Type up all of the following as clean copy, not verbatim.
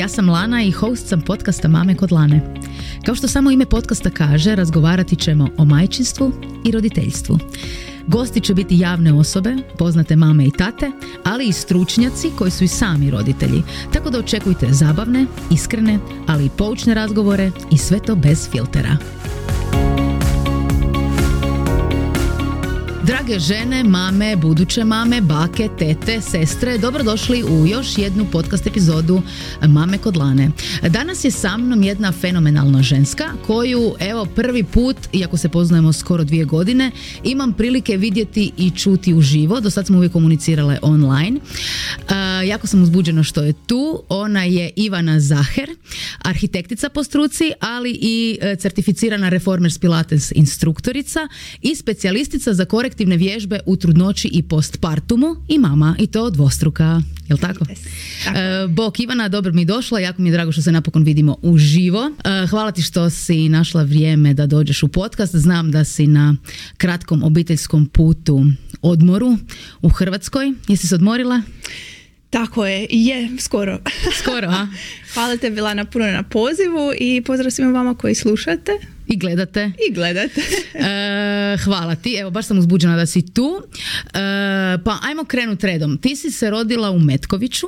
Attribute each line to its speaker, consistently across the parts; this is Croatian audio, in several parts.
Speaker 1: Ja sam Lana i host sam podcasta Mame kod Lane. Kao što samo ime podcasta kaže, razgovarati ćemo o majčinstvu i roditeljstvu. Gosti će biti javne osobe, poznate mame i tate, ali i stručnjaci koji su i sami roditelji. Tako da očekujte zabavne, iskrene, ali i poučne razgovore i sve to bez filtera. Drage žene, mame, buduće mame, bake, tete, sestre, dobrodošli u još jednu podcast epizodu Mame kod Lane. Danas je sa mnom jedna fenomenalna ženska koju, evo, prvi put, iako se poznajemo skoro 2 godine, imam prilike vidjeti i čuti uživo. Do sad smo uvijek komunicirale online. Jako sam uzbuđena što je tu. Ona je Ivana Zaher, arhitektica po struci, ali i certificirana Reformers Pilates instruktorica i specijalistica za korektivne vježbe u trudnoći i postpartumu i mama, i to dvostruka. Jel tako? Bok Ivana, dobro mi došla, jako mi je drago što se napokon vidimo uživo. Hvala ti što si našla vrijeme da dođeš u podcast. Znam da si na kratkom obiteljskom putu odmoru u Hrvatskoj. Jesi se odmorila?
Speaker 2: Tako je, skoro.
Speaker 1: Skoro, a?
Speaker 2: Hvala te, Lana, puno na pozivu i pozdrav svima vama koji slušate.
Speaker 1: I gledate.
Speaker 2: Hvala
Speaker 1: ti, evo baš sam uzbuđena da si tu. Pa ajmo krenut redom. Ti si se rodila u Metkoviću,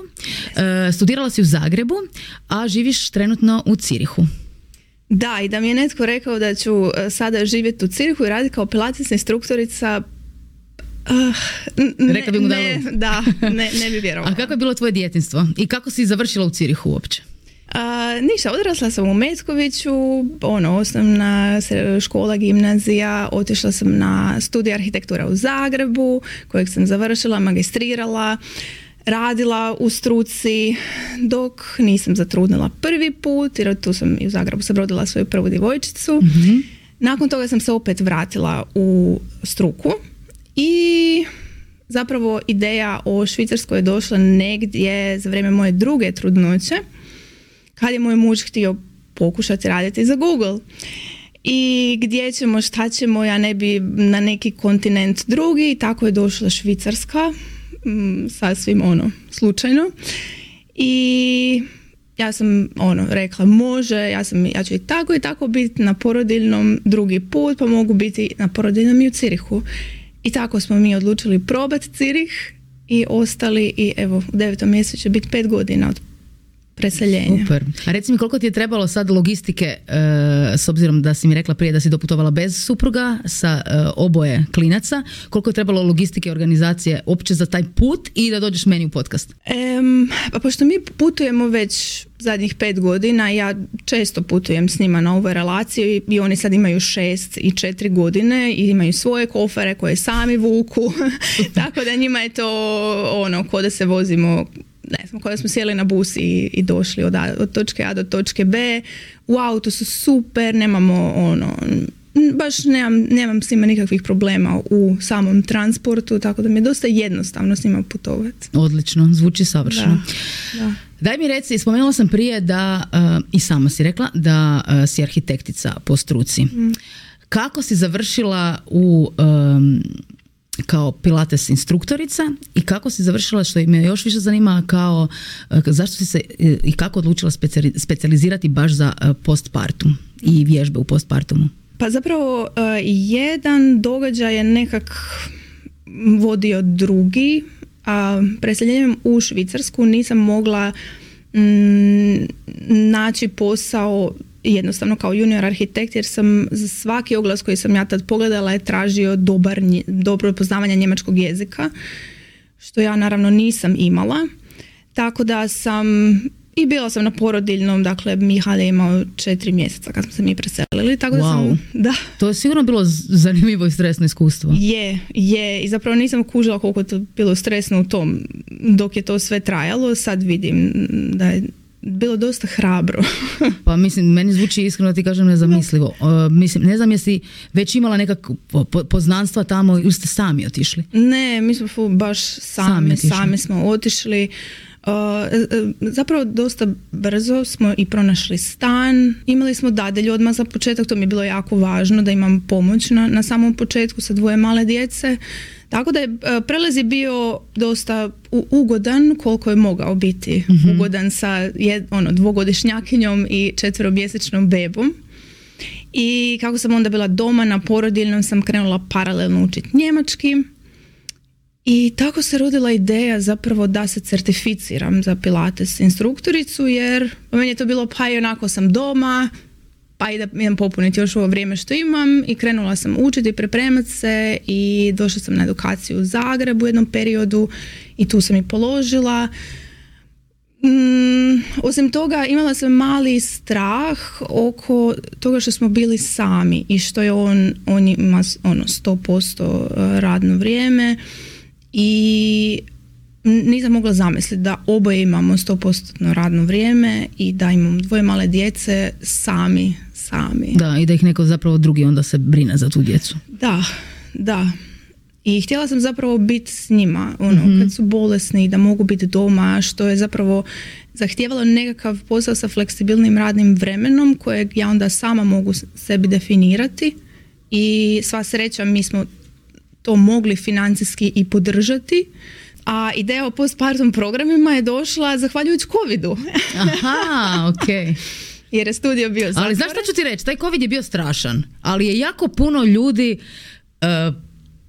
Speaker 1: studirala si u Zagrebu, a živiš trenutno u Zürichu.
Speaker 2: Da, i da mi je netko rekao da ću sada živjeti u Zürichu i raditi kao pilates instruktorica,
Speaker 1: rekla bi mu
Speaker 2: ne bi vjerovala.
Speaker 1: A kako je bilo tvoje djetinjstvo i kako si završila u Zürichu uopće?
Speaker 2: Ništa, odrasla sam u Metkoviću, osnovna škola, gimnazija, otišla sam na studij arhitektura u Zagrebu, kojeg sam završila, magistrirala, radila u struci dok nisam zatrudnila prvi put, jer tu sam i u Zagrebu sam rodila svoju prvu djevojčicu. Mm-hmm. Nakon toga sam se opet vratila u struku i zapravo ideja o Švicarskoj je došla negdje za vrijeme moje druge trudnoće, kad je moj muž htio pokušati raditi za Google. I gdje ćemo, šta ćemo, ja ne bi na neki kontinent drugi, i tako je došla Švicarska, sasvim slučajno. I ja sam rekla, može, ja ću i tako biti na porodiljnom drugi put, pa mogu biti na porodiljnom i u Zürichu. I tako smo mi odlučili probati Zürich i ostali, i evo u 9. mjesecu će biti 5 godina od preseljenja.
Speaker 1: Super. A reci mi, koliko ti je trebalo sad logistike, s obzirom da si mi rekla prije da si doputovala bez supruga sa oboje klinaca, koliko je trebalo logistike, organizacije uopće za taj put i da dođeš meni u podcast?
Speaker 2: Pa pošto mi putujemo već zadnjih 5 godina, ja često putujem s njima na ovoj relaciji i oni sad imaju 6 i 4 godine i imaju svoje kofere koje sami vuku. Tako da njima je to ko da se vozimo, ne znam, kada smo sjeli na bus i došli od točke A do točke B. U autu su super, nemamo baš nemam s njima nikakvih problema u samom transportu, tako da mi je dosta jednostavno s njima putovati.
Speaker 1: Odlično, zvuči savršeno. Da. Daj mi reci, spomenula sam prije da, i sama si rekla, da si arhitektica po struci. Kako si završila kao pilates instruktorica i kako si završila, što me još više zanima, kao zašto si se i kako odlučila specijalizirati baš za postpartum i vježbe u postpartumu?
Speaker 2: Pa zapravo jedan događaj je nekak vodio drugi, a preseljenjem u Švicarsku nisam mogla naći posao jednostavno kao junior arhitekt, jer sam za svaki oglas koji sam ja tad pogledala je tražio dobro poznavanje njemačkog jezika, što ja naravno nisam imala. Tako da i bila sam na porodiljnom, dakle Mihal je imao 4 mjeseca kad smo se mi preselili. Tako da
Speaker 1: to je sigurno bilo zanimljivo i stresno iskustvo.
Speaker 2: Je, i zapravo nisam kužila koliko je to bilo stresno u tom dok je to sve trajalo. Sad vidim da je bilo dosta hrabro.
Speaker 1: Pa mislim, meni zvuči iskreno, da ti kažem, nezamislivo. Mislim, ne znam jesi već imala nekakve poznanstva tamo ili ste sami otišli?
Speaker 2: Ne, mi smo baš sami smo otišli. Zapravo dosta brzo smo i pronašli stan, imali smo dadilju odmah za početak, to mi je bilo jako važno da imam pomoć na samom početku sa 2 male djece, Tako da je prelaz je bio dosta ugodan koliko je mogao biti ugodan sa dvogodišnjakinjom i 4-mjesečnom bebom. I kako sam onda bila doma na porodiljnom sam krenula paralelno učiti njemački. I tako se rodila ideja zapravo da se certificiram za Pilates instruktoricu, jer meni je to bilo pa i onako sam doma, pa i da idem popuniti još ovo vrijeme što imam, i krenula sam učiti, pripremati se i došla sam na edukaciju u Zagrebu u jednom periodu i tu sam i položila. Osim toga imala sam mali strah oko toga što smo bili sami i što je on ima 100% radno vrijeme i nisam mogla zamisliti da oboje imamo 100% radno vrijeme i da imamo 2 male djece sami.
Speaker 1: Da, i da ih neko zapravo drugi onda se brine za tu djecu.
Speaker 2: Da. I htjela sam zapravo biti s njima, kad su bolesni, da mogu biti doma, što je zapravo zahtijevalo nekakav posao sa fleksibilnim radnim vremenom kojeg ja onda sama mogu sebi definirati i sva sreća mi smo to mogli financijski i podržati. A ideja o postpartum programima je došla zahvaljujući covidu.
Speaker 1: Aha, okej.
Speaker 2: Jer je studio bio zatvoren.
Speaker 1: Ali znaš šta ću ti reći, taj covid je bio strašan, ali je jako puno ljudi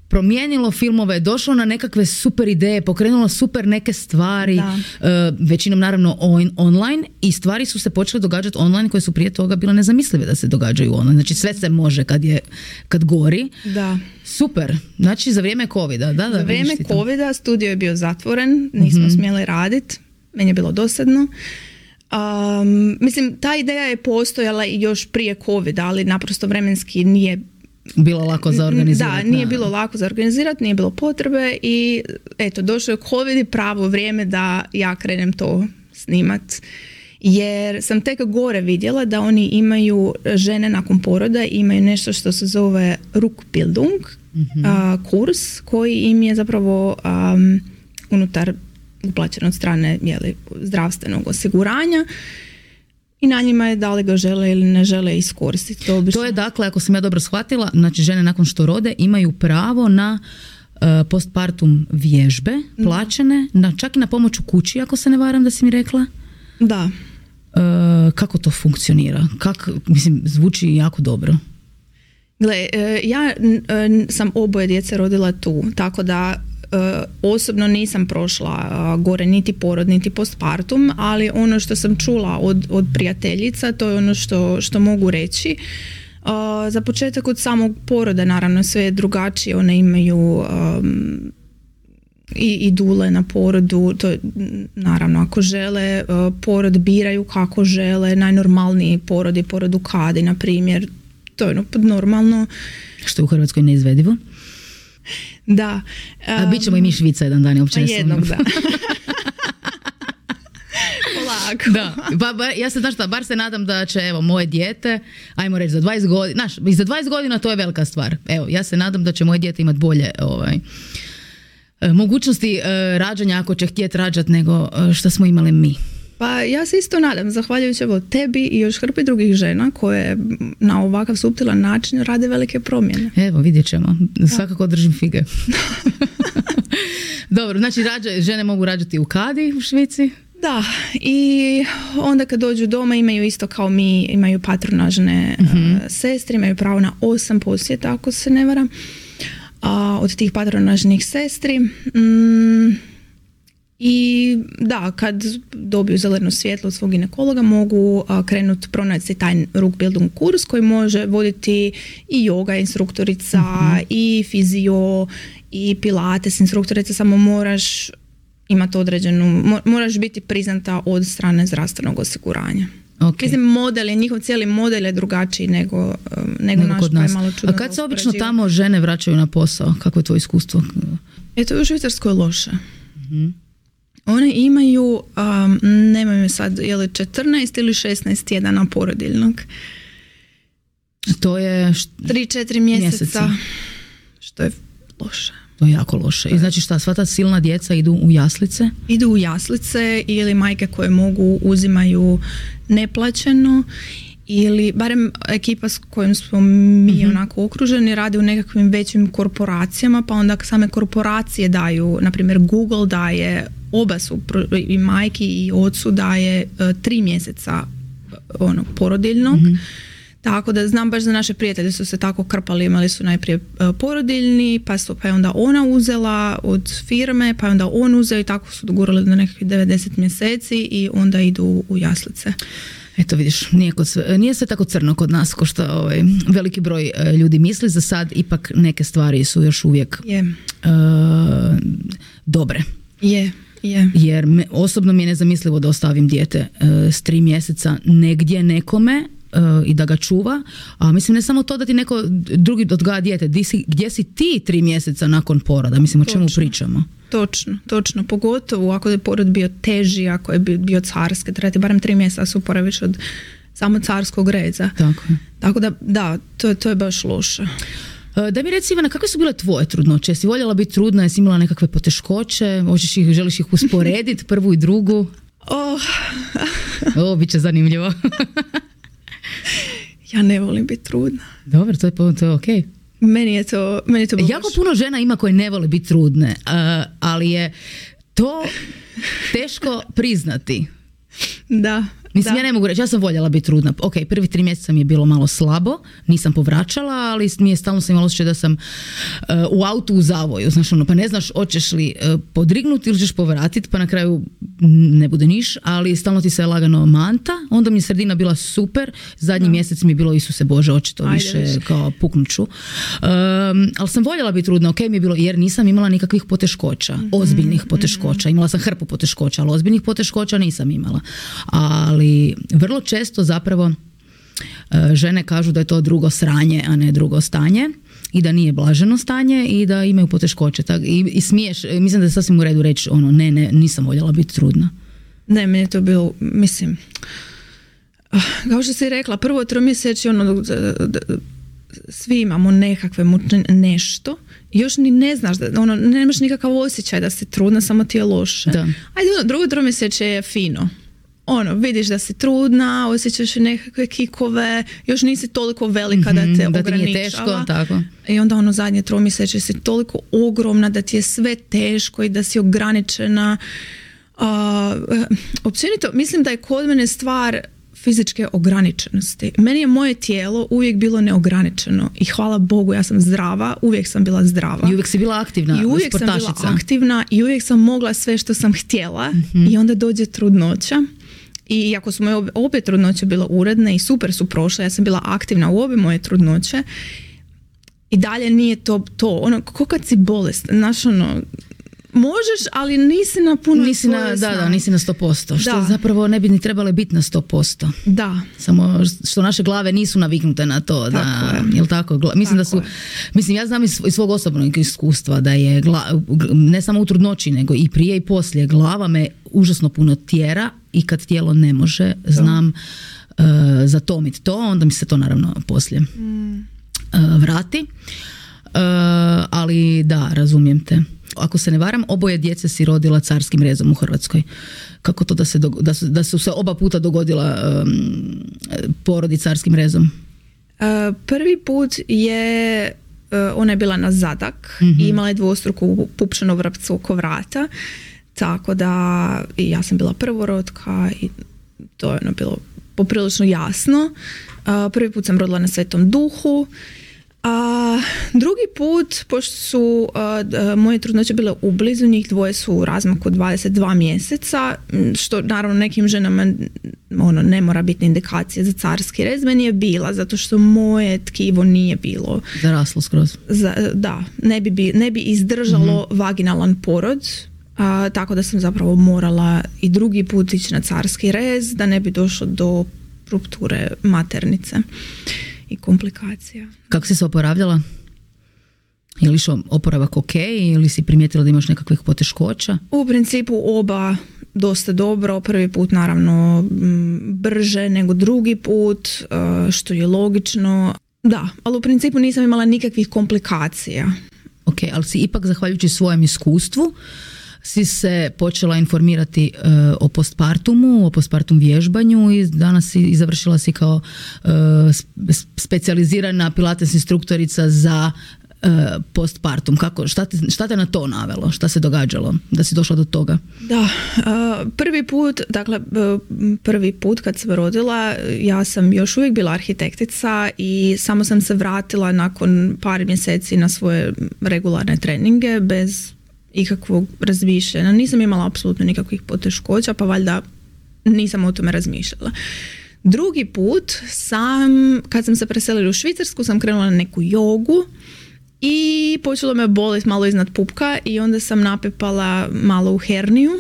Speaker 1: promijenilo filmove, došlo na nekakve super ideje, pokrenulo super neke stvari, većinom naravno online, i stvari su se počele događati online koje su prije toga bile nezamislive da se događaju online. Znači sve se može kad gori.
Speaker 2: Da.
Speaker 1: Super. Znači za vrijeme covida.
Speaker 2: Za vrijeme covida studio je bio zatvoren, nismo smjeli raditi, meni je bilo dosadno. Mislim, ta ideja je postojala i još prije covida, ali naprosto vremenski nije
Speaker 1: bilo lako za organizirati.
Speaker 2: Da, nije bilo lako za organizirati, nije bilo potrebe i eto, došao je covid i pravo vrijeme da ja krenem to snimat. Jer sam tek gore vidjela da oni imaju, žene nakon poroda imaju nešto što se zove Rückbildung, kurs koji im je zapravo unutar uplaćen od strane zdravstvenog osiguranja. I na njima je da li ga žele ili ne žele iskoristiti.
Speaker 1: To je dakle, ako sam ja dobro shvatila, znači žene nakon što rode imaju pravo na postpartum vježbe, plaćene, čak i na pomoć u kući, ako se ne varam da si mi rekla.
Speaker 2: Da.
Speaker 1: Kako to funkcionira? Mislim, zvuči jako dobro.
Speaker 2: Gle, ja sam oboje djece rodila tu, tako da osobno nisam prošla gore niti porod niti postpartum, ali ono što sam čula od prijateljica, to je ono što mogu reći. Za početak od samog poroda naravno sve je drugačije, one imaju i dule na porodu, to je, naravno ako žele porod biraju kako žele, najnormalniji porod je porod u kadi na primjer, to je normalno.
Speaker 1: Što je u Hrvatskoj neizvedivo.
Speaker 2: Da.
Speaker 1: A bit ćemo i mi Švica jedan dan, uopće ne
Speaker 2: jednog, da. Polako.
Speaker 1: Da. Ja se, bar se nadam da će, evo, moje dijete, ajmo reći za 20 godina, i za 20 godina to je velika stvar. Evo, ja se nadam da će moje dijete imati bolje mogućnosti rađanja, ako će htjeti rađati, nego što smo imali mi.
Speaker 2: Pa ja se isto nadam, zahvaljujući tebi i još hrpi drugih žena koje na ovakav suptilan način rade velike promjene.
Speaker 1: Evo, vidjet ćemo. Svakako držim fige. Dobro, znači žene mogu rađati u kadi u Švici?
Speaker 2: Da, i onda kad dođu doma imaju isto kao mi, imaju patronažne sestre, imaju pravo na 8 posjeta, ako se ne varam, od tih patronažnih sestri. I da, kad dobiju zeleno svjetlo od svog ginekologa mogu krenuti pronaći taj Rückbildung kurs koji može voditi i yoga instruktorica, i fizio, i pilates instruktorica, samo moraš imati moraš biti priznata od strane zdravstvenog osiguranja.
Speaker 1: Okay.
Speaker 2: Mislim, njihov cijeli model je drugačiji nego naš,
Speaker 1: kod nas.
Speaker 2: Pa je malo čudno.
Speaker 1: A kad se obično tamo žene vraćaju na posao? Kako je to iskustvo?
Speaker 2: To je u Švicarskoj loše. One imaju, nemaju sad, je li 14 ili 16 tjedana porodiljnog.
Speaker 1: To je
Speaker 2: 3-4 mjeseca. Što je loše.
Speaker 1: To je jako loše. I znači šta, sva ta silna djeca idu u jaslice?
Speaker 2: Idu u jaslice ili majke koje mogu uzimaju neplaćeno ili barem ekipa s kojom smo mi onako okruženi radi u nekakvim većim korporacijama, pa onda same korporacije daju, na primjer Google daje, oba su i majki i ocu daje 3 mjeseca porodiljnog. Tako da znam baš za naše prijatelje su se tako krpali, imali su najprije porodiljni, pa je onda ona uzela od firme, pa je onda on uzeo i tako su dogurali do nekakvih 90 mjeseci i onda idu u jaslice.
Speaker 1: Eto vidiš, nije sve tako crno kod nas ko što veliki broj ljudi misli. Za sad ipak neke stvari su još uvijek dobre. Jer osobno mi je nezamislivo da ostavim dijete s 3 mjeseca negdje nekome i da ga čuva, a mislim ne samo to da ti neko drugi odgaja dijete, gdje si ti 3 mjeseca nakon poroda, mislim o čemu pričamo.
Speaker 2: Točno, pogotovo ako je porod bio teži, ako je bio carski, treba ti barem 3 mjeseca su poraviš od samo carskog reza. Tako da, to je baš loše.
Speaker 1: Da mi reci, Ivana, kakve su bile tvoje trudnoće? Jesi voljela biti trudna, jesi imala nekakve poteškoće, želiš ih usporediti, prvu i drugu? Bit će zanimljivo.
Speaker 2: Ja ne volim biti trudna.
Speaker 1: Dobro, to je okej.
Speaker 2: Meni je to
Speaker 1: jako puno žena ima koje ne vole biti trudne, ali je to teško priznati.
Speaker 2: Da.
Speaker 1: Mislim, ja ne mogu reći, ja sam voljela biti trudna. Ok, prvi 3 mjeseca mi je bilo malo slabo, nisam povraćala, ali mi je stalno sam imala osjećaj da sam u autu u zavoju. Znaš, pa ne znaš hoćeš li podrignuti ili ćeš povratiti, pa na kraju ne bude niš, ali stalno ti se lagano manta. Onda mi je sredina bila super, zadnji mjesec mi je bilo Isuse Bože, očito više kao puknuću. Ali sam voljela biti trudna, ok mi je bilo, jer nisam imala nikakvih poteškoća, ozbiljnih poteškoća. Imala sam hrpu poteškoća, ali ozbiljnih poteškoća nisam imala. Ali vrlo često zapravo žene kažu da je to drugo sranje, a ne drugo stanje i da nije blaženo stanje i da imaju poteškoće. I smiješ, mislim da je sasvim u redu reći ne, nisam voljela biti trudna.
Speaker 2: Ne, meni je to bilo, mislim, kao što si rekla, prvo 3 mjeseči svi imamo nekakve nešto i još ni ne znaš, nemaš nikakav osjećaj da si trudna, samo ti je loše. Ajde, drugo 3 mjeseče je fino. Vidiš da si trudna, osjećaš nekakve kikove, još nisi toliko velika da te ograničava. Da ti nije teško, tako. I onda zadnje 3 mjeseče si toliko ogromna da ti je sve teško i da si ograničena. Općenito, mislim da je kod mene stvar fizičke ograničenosti. Meni je moje tijelo uvijek bilo neograničeno i hvala Bogu ja sam zdrava, uvijek sam bila zdrava.
Speaker 1: I uvijek si bila aktivna,
Speaker 2: i uvijek
Speaker 1: sportašica.
Speaker 2: Sam bila aktivna i uvijek sam mogla sve što sam htjela i onda dođe trudnoća. I iako su moje obje trudnoće bile uredne i super su prošle, ja sam bila aktivna u obje moje trudnoće i dalje nije to. Kako kad si bolest, znaš možeš, ali nisi na puno
Speaker 1: nisi na 100%, što zapravo ne bi ni trebale biti na 100%.
Speaker 2: Da.
Speaker 1: Samo što naše glave nisu naviknute na to. Jel tako? Mislim da su, ja znam iz svog osobnog iskustva da je ne samo u trudnoći, nego i prije i poslije glava me užasno puno tjera i kad tijelo ne može, znam zatomiti to, onda mi se to naravno poslije vrati. Ali da, razumijem te. Ako se ne varam, oboje djece si rodila carskim rezom u Hrvatskoj. Kako to da su se oba puta dogodila porodi carskim rezom?
Speaker 2: Prvi put je ona je bila na zadak i imala je dvostruku pupčanu vrpcu oko vrata, tako da i ja sam bila prvorotka i to je bilo poprilično jasno. Prvi put sam rodila na Svetom Duhu. Drugi put, pošto su moje trudnoće bile ublizu, njih dvoje su u razmaku 22 mjeseca, što naravno nekim ženama ne mora biti indikacija za carski rez, meni je bila, zato što moje tkivo nije bilo
Speaker 1: zaraslo skroz.
Speaker 2: Da, ne bi izdržalo vaginalan porod, tako da sam zapravo morala i drugi put ići na carski rez, da ne bi došlo do rupture maternice i komplikacija.
Speaker 1: Kako si se oporavljala? Je li išao oporavak ok ili si primijetila da imaš nekakvih poteškoća?
Speaker 2: U principu oba dosta dobro. Prvi put naravno brže nego drugi put, što je logično. Da, ali u principu nisam imala nikakvih komplikacija.
Speaker 1: Ok, ali si ipak zahvaljujući svojem iskustvu si se počela informirati o postpartumu, o postpartum vježbanju i danas si završila si kao specijalizirana pilates instruktorica za postpartum. Šta te na to navelo? Šta se događalo da si došla do toga?
Speaker 2: Da, prvi put kad sam rodila, ja sam još uvijek bila arhitektica i samo sam se vratila nakon par mjeseci na svoje regularne treninge bez ikakvog razmišljanja. Nisam imala apsolutno nikakvih poteškoća, pa valjda nisam o tome razmišljala. Drugi put kad sam se preselila u Švicarsku, sam krenula na neku jogu i počelo me boliti malo iznad pupka i onda sam napepala malo u herniju.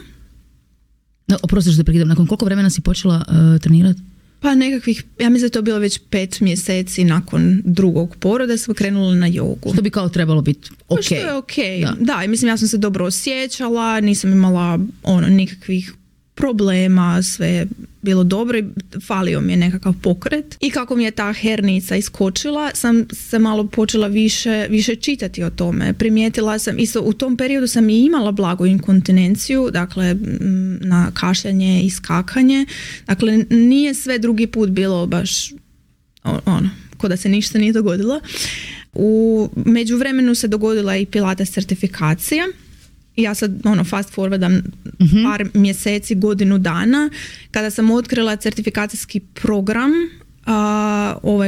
Speaker 1: Oprosti što te prekidam, nakon koliko vremena si počela trenirati?
Speaker 2: Pa nekakvih, ja mislim da je to bilo već 5 mjeseci nakon drugog poroda sam krenula na jogu.
Speaker 1: Što bi kao trebalo biti ok.
Speaker 2: Što je ok. Da, i mislim ja sam se dobro osjećala, nisam imala nikakvih problema, sve je bilo dobro i falio mi je nekakav pokret. I kako mi je ta hernica iskočila, sam se malo počela više čitati o tome. Primijetila sam, isto u tom periodu sam i imala blagu inkontinenciju, dakle na kašljanje i skakanje. Dakle, nije sve drugi put bilo baš ko da se ništa nije dogodilo. U međuvremenu se dogodila i pilates certifikacija. Ja sad fast forwardam par mjeseci, godinu dana, kada sam otkrila certifikacijski program,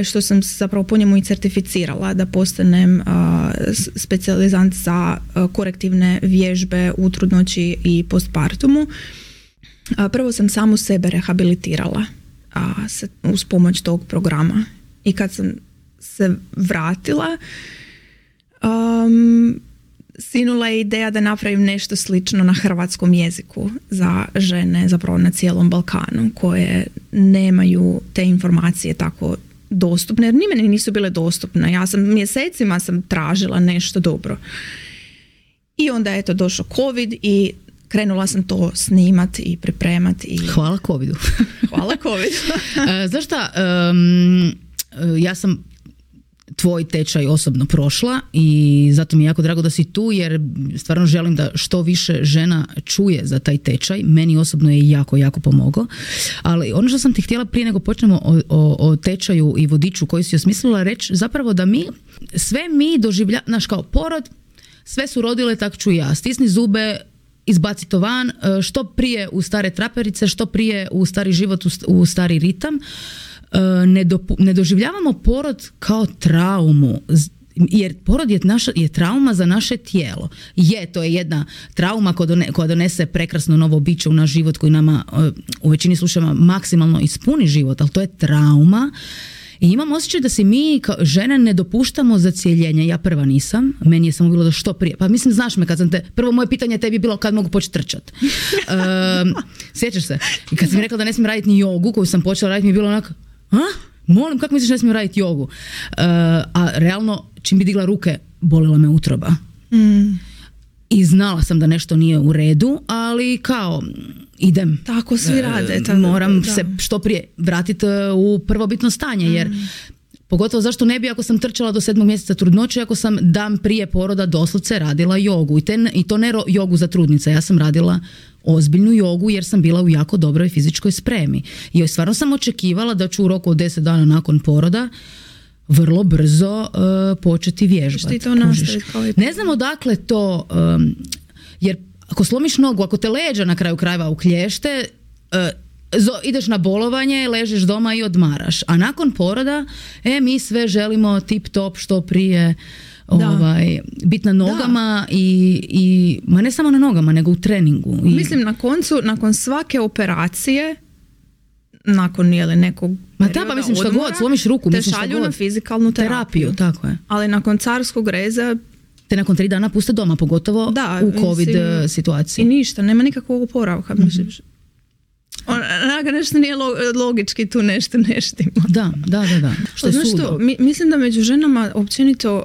Speaker 2: što sam zapravo po njemu i certificirala da postanem specijalizant za korektivne vježbe u trudnoći i postpartumu. Prvo sam samu sebe rehabilitirala uz pomoć tog programa i kad sam se vratila, sinula je ideja da napravim nešto slično na hrvatskom jeziku za žene zapravo na cijelom Balkanu koje nemaju te informacije tako dostupne, jer ni meni nisu bile dostupne. Ja sam mjesecima tražila nešto dobro. I onda je došao COVID i krenula sam to snimat i pripremat.
Speaker 1: Hvala COVIDu.
Speaker 2: Hvala COVIDu.
Speaker 1: Znaš šta, ja sam tvoj tečaj osobno prošla i zato mi je jako drago da si tu jer stvarno želim da što više žena čuje za taj tečaj. Meni osobno je jako, jako pomogao. Ali ono što sam ti htjela prije nego počnemo o tečaju i vodiču koji si osmislila reći, zapravo da sve mi doživljavamo, znaš kao porod, sve su rodile, tak ću ja. Stisni zube, izbaci to van, što prije u stare traperice, što prije u stari život, u stari ritam. Ne doživljavamo porod kao traumu, jer porod je trauma za naše tijelo. To je jedna trauma koja donese prekrasno novo biće u naš život koji nama u većini slučajeva maksimalno ispuni život, ali to je trauma. I imam osjećaj da si mi kao žene ne dopuštamo zacijeljenje. Ja prva nisam, meni je samo bilo da što prije. Pa mislim, znaš me kad sam prvo moje pitanje tebi je bilo kad mogu početi trčati. Sjećaš se? I kad sam mi rekla da ne smijem raditi ni jogu koju sam počela raditi mi je bilo onako, molim, kako misliš da ne smijem raditi jogu? A realno, čim bi digla ruke, bolila me utroba. I znala sam da nešto nije u redu, ali kao idem.
Speaker 2: Tako svi rade.
Speaker 1: Moram se što prije vratiti u prvobitno stanje, jer pogotovo zašto ne bi ako sam trčala do 7. mjeseca trudnoće, ako sam dan prije poroda doslovce radila jogu. I to ne jogu za trudnice, ja sam radila ozbiljnu jogu jer sam bila u jako dobroj fizičkoj spremi. I stvarno sam očekivala da ću u roku od 10 dana nakon poroda vrlo brzo početi vježbati. Ne znam odakle to, jer ako slomiš nogu, ako te leđa na kraju krajeva uklješte, ideš na bolovanje, ležiš doma i odmaraš. A nakon poroda, mi sve želimo tip top što prije biti na nogama i ma ne samo na nogama, nego u treningu.
Speaker 2: Mislim, nakon svake operacije, nakon nekog
Speaker 1: pa mislim što god, slomiš ruku,
Speaker 2: te šalju na fizikalnu terapiju.
Speaker 1: Tako je.
Speaker 2: Ali nakon carskog reza
Speaker 1: te nakon 3 dana puste doma, pogotovo u COVID situaciji.
Speaker 2: I ništa, nema nikakvog oporavka. Nešto nije logički, tu nešto ne štima.
Speaker 1: Da. Što je sudo.
Speaker 2: Mislim da među ženama općenito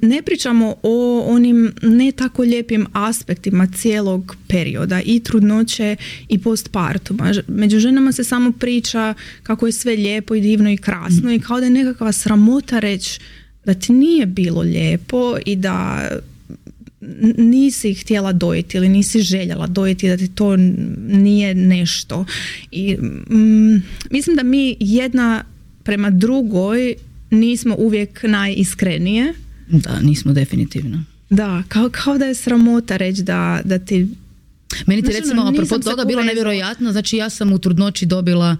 Speaker 2: ne pričamo o onim ne tako lijepim aspektima cijelog perioda i trudnoće i postpartuma. Među ženama se samo priča kako je sve lijepo i divno i krasno i kao da je nekakva sramota reći da ti nije bilo lijepo i da nisi htjela dojiti ili nisi željela dojiti, da ti to nije nešto. I mislim da mi jedna prema drugoj nismo uvijek najiskrenije.
Speaker 1: Da, nismo definitivno.
Speaker 2: Da, kao da je sramota reći da ti...
Speaker 1: Meni ti recimo, apropo toga, bilo nevjerojatno, znači ja sam u trudnoći dobila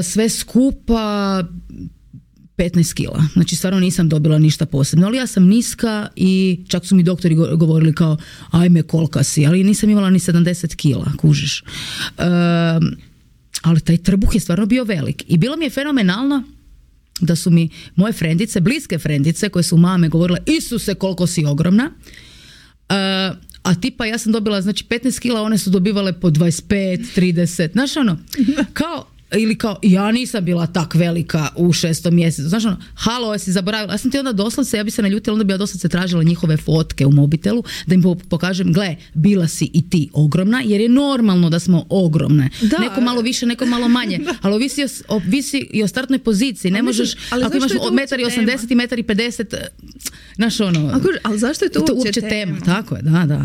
Speaker 1: sve skupa 15 kila. Znači stvarno nisam dobila ništa posebno, ali ja sam niska i čak su mi doktori govorili kao ajme kolika si, ali nisam imala ni 70 kila, kužiš. Ali taj trbuh je stvarno bio velik i bilo mi je fenomenalno da su mi moje frendice, bliske frendice koje su mame govorile Isuse koliko si ogromna, a tipa ja sam dobila znači 15 kila, one su dobivale po 25, 30, znaš ono, kao ja nisam bila tak velika u 6. mjesecu. Znaš ono, halo, jesi zaboravila. Ja sam ti onda doslovce, ja bi se naljutila, onda bi ja doslovce tražila njihove fotke u mobitelu, da im pokažem, gle, bila si i ti ogromna, jer je normalno da smo ogromne. Da. Neko malo više, neko malo manje. Ali ovisi i o startnoj poziciji. Ne možeš, ako imaš 1,80 m i 1,50 m, znaš ono...
Speaker 2: Ali zašto je to uopće tema?
Speaker 1: Tako je, da.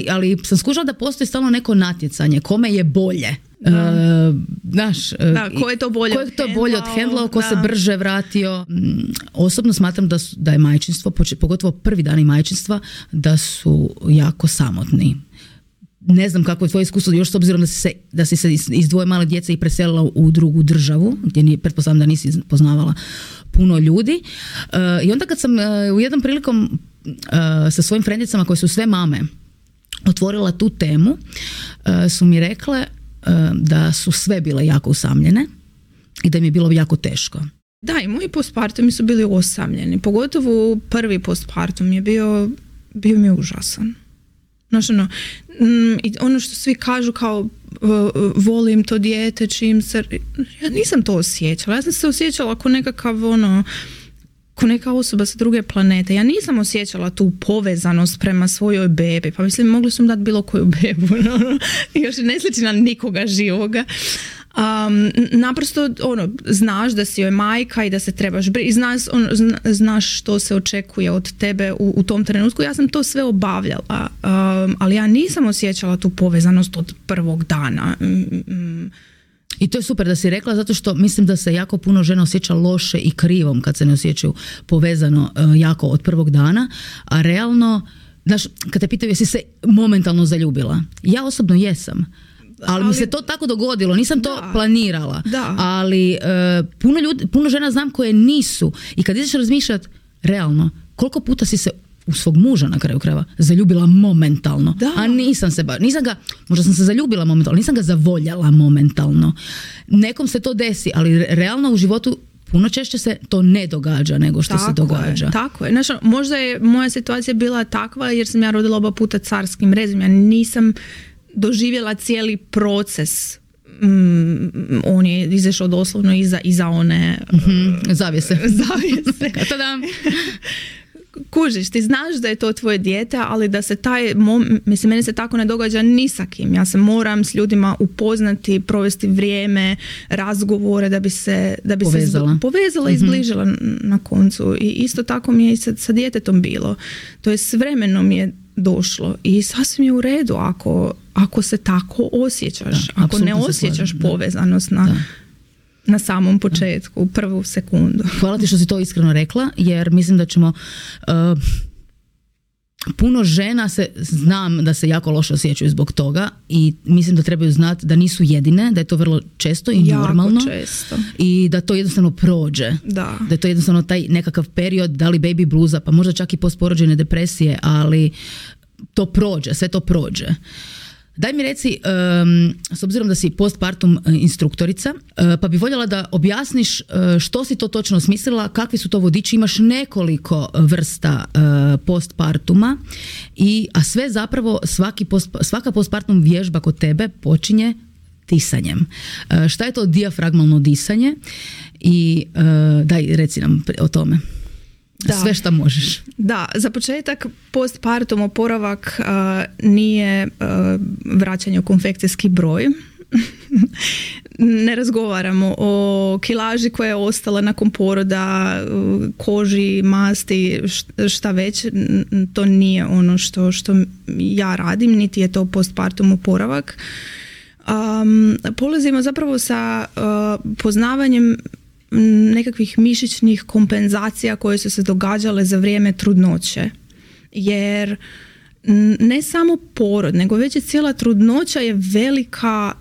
Speaker 1: Ali sam skužila da postoji stalno neko natjecanje. Kome je bolje?
Speaker 2: Ko je to bolje
Speaker 1: od hendlao, ko se brže vratio. Osobno smatram da je majčinstvo, pogotovo prvi dani majčinstva, da su jako samotni. Ne znam kako je tvoje iskustvo, još s obzirom da si se iz dvoje male djece i preselila u drugu državu, gdje pretpostavljam da nisi poznavala puno ljudi. I onda kad sam u jednom prilikom sa svojim frendicama koje su sve mame otvorila tu temu, su mi rekle da su sve bile jako usamljene i da im je bilo jako teško.
Speaker 2: Da, i moji postpartumi su bili osamljeni. Pogotovo prvi postpartum je bio mi je užasan. Znači, ono što svi kažu kao volim to dijete, čim se... Ja nisam to osjećala. Ja sam se osjećala ako nekakav ko neka osoba sa druge planete. Ja nisam osjećala tu povezanost prema svojoj bebi. Pa mislim, mogli su mi dati bilo koju bebu. Još ne sliči na nikoga živoga. Naprosto znaš da si joj majka i da se trebaš i znaš što se očekuje od tebe u tom trenutku. Ja sam to sve obavljala, ali ja nisam osjećala tu povezanost od prvog dana.
Speaker 1: I to je super da si rekla, zato što mislim da se jako puno žena osjeća loše i krivom kad se ne osjećaju povezano jako od prvog dana, a realno, znaš, kad te pitaju jesi se momentalno zaljubila, ja osobno jesam. Ali mi se to tako dogodilo, nisam to planirala. Da. Ali puno žena znam koje nisu. I kad ideš razmišljati realno, koliko puta si se u svog muža na kraju krajeva zaljubila momentalno. Da. A možda sam se zaljubila momentalno, nisam ga zavoljala momentalno. Nekom se to desi, ali realno u životu puno češće se to ne događa nego što se događa.
Speaker 2: Tako je. Znači, možda je moja situacija bila takva jer sam ja rodila oba puta carskim rezom. Ja nisam doživjela cijeli proces. On je izašao doslovno iza one
Speaker 1: zavjese. Tadam.
Speaker 2: Kužiš, ti znaš da je to tvoje dijete, ali da se meni se tako ne događa ni sa kim. Ja se moram s ljudima upoznati, provesti vrijeme, razgovore da bi se povezala i zbližila na koncu. I isto tako mi je i sa djetetom bilo. To je s vremenom je došlo i sasvim je u redu ako se tako osjećaš, ako ne osjećaš povezanost na samom početku, u prvu sekundu.
Speaker 1: Hvala ti što si to iskreno rekla, jer mislim da ćemo puno žena znam da se jako loše osjećaju zbog toga i mislim da trebaju znati da nisu jedine, da je to vrlo često i normalno.
Speaker 2: Često.
Speaker 1: I da to jednostavno prođe. Da je to jednostavno taj nekakav period, da li baby bluza, pa možda čak i postporođajne depresije, ali to prođe, sve to prođe. Daj mi reci, s obzirom da si postpartum instruktorica, pa bi voljela da objasniš što si to točno osmislila, kakvi su to vodiči, imaš nekoliko vrsta postpartuma, a sve zapravo svaka postpartum vježba kod tebe počinje disanjem. Šta je to dijafragmalno disanje i daj reci nam o tome. Da. Sve što možeš.
Speaker 2: Da, za početak postpartum oporavak nije vraćanje u konfekcijski broj. ne razgovaramo o kilaži koja je ostala nakon poroda, koži, masti, šta već. To nije ono što ja radim, niti je to postpartum oporavak. Polazimo zapravo sa poznavanjem nekakvih mišićnih kompenzacija koje su se događale za vrijeme trudnoće. Jer ne samo porod, nego već i cijela trudnoća je velika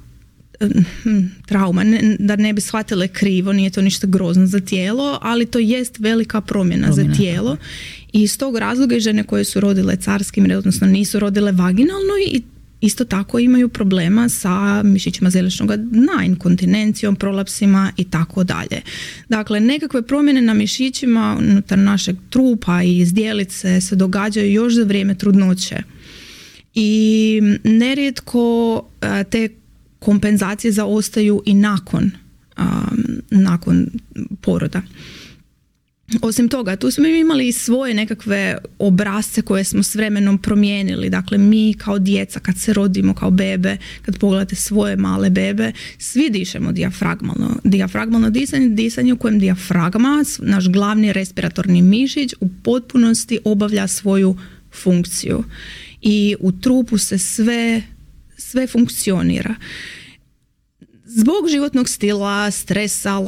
Speaker 2: trauma, da ne bi shvatile krivo, nije to ništa grozno za tijelo, ali to jest velika promjena za tijelo. I iz tog razloga i žene koje su rodile carskim, odnosno nisu rodile vaginalno, i isto tako imaju problema sa mišićima zeličnog dna, inkontinencijom, prolapsima i tako dalje. Dakle, nekakve promjene na mišićima unutar našeg trupa i zdjelice se događaju još za vrijeme trudnoće. I nerijetko te kompenzacije zaostaju i nakon poroda. Osim toga, tu smo imali i svoje nekakve obrasce koje smo s vremenom promijenili. Dakle, mi kao djeca, kad se rodimo kao bebe, kad pogledate svoje male bebe, svi dišemo dijafragmalno. Dijafragmalno disanje u kojem dijafragma, naš glavni respiratorni mišić, u potpunosti obavlja svoju funkciju. I u trupu se sve funkcionira. Zbog životnog stila, stresa,